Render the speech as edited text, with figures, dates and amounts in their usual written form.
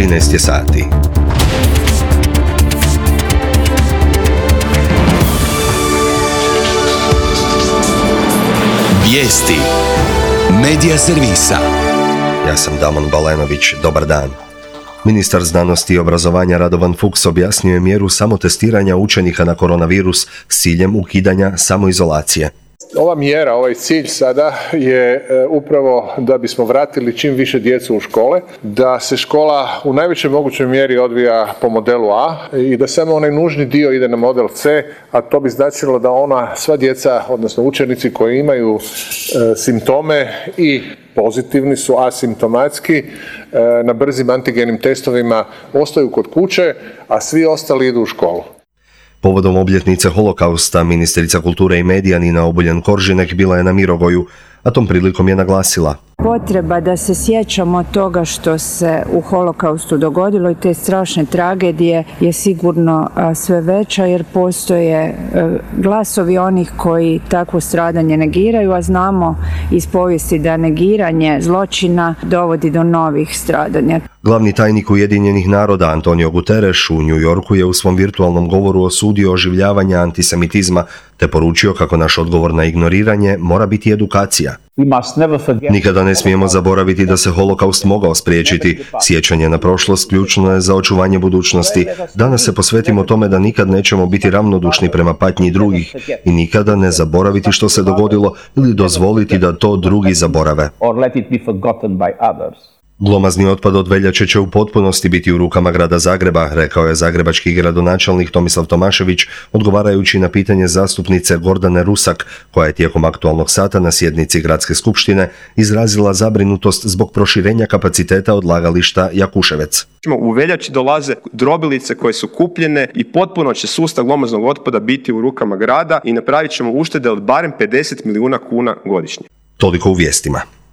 13 je sati. Vijesti Medija servisa. Ja sam Damon Balenović, dobar dan. Ministar znanosti i obrazovanja Radovan Fuchs objasnio je mjeru samotestiranja učenika na koronavirus s ciljem ukidanja samoizolacije. Ova mjera, ovaj cilj sada je upravo da bismo vratili čim više djecu u škole, da se škola u najvećoj mogućoj mjeri odvija po modelu A i da samo onaj nužni dio ide na model C, a to bi značilo da sva djeca, odnosno učenici koji imaju simptome i pozitivni su, asimptomatski, na brzim antigenim testovima ostaju kod kuće, a svi ostali idu u školu. Povodom obljetnice holokausta, ministrica kulture i medija Nina Obuljen-Koržinek bila je na Mirogoju, a tom prilikom je naglasila: potreba da se sjećamo toga što se u holokaustu dogodilo i te strašne tragedije je sigurno sve veća, jer postoje glasovi onih koji takvo stradanje negiraju, a znamo iz povijesti da negiranje zločina dovodi do novih stradanja. Glavni tajnik Ujedinjenih naroda Antonio Guterres u New Yorku je u svom virtualnom govoru osudio oživljavanje antisemitizma te poručio kako naš odgovor na ignoriranje mora biti edukacija. Nikada ne smijemo zaboraviti da se holokaust mogao spriječiti. Sjećanje na prošlost ključno je za očuvanje budućnosti. Danas se posvetimo tome da nikad nećemo biti ravnodušni prema patnji drugih i nikada ne zaboraviti što se dogodilo ili dozvoliti da to drugi zaborave. Glomazni otpad od veljače će u potpunosti biti u rukama grada Zagreba, rekao je zagrebački gradonačelnik Tomislav Tomašević, odgovarajući na pitanje zastupnice Gordane Rusak, koja je tijekom aktualnog sata na sjednici Gradske skupštine izrazila zabrinutost zbog proširenja kapaciteta odlagališta Jakuševec. U veljači dolaze drobilice koje su kupljene i potpuno će sustav glomaznog otpada biti u rukama grada i napravit ćemo uštede od barem 50 milijuna kuna godišnje. Toliko u vijestima.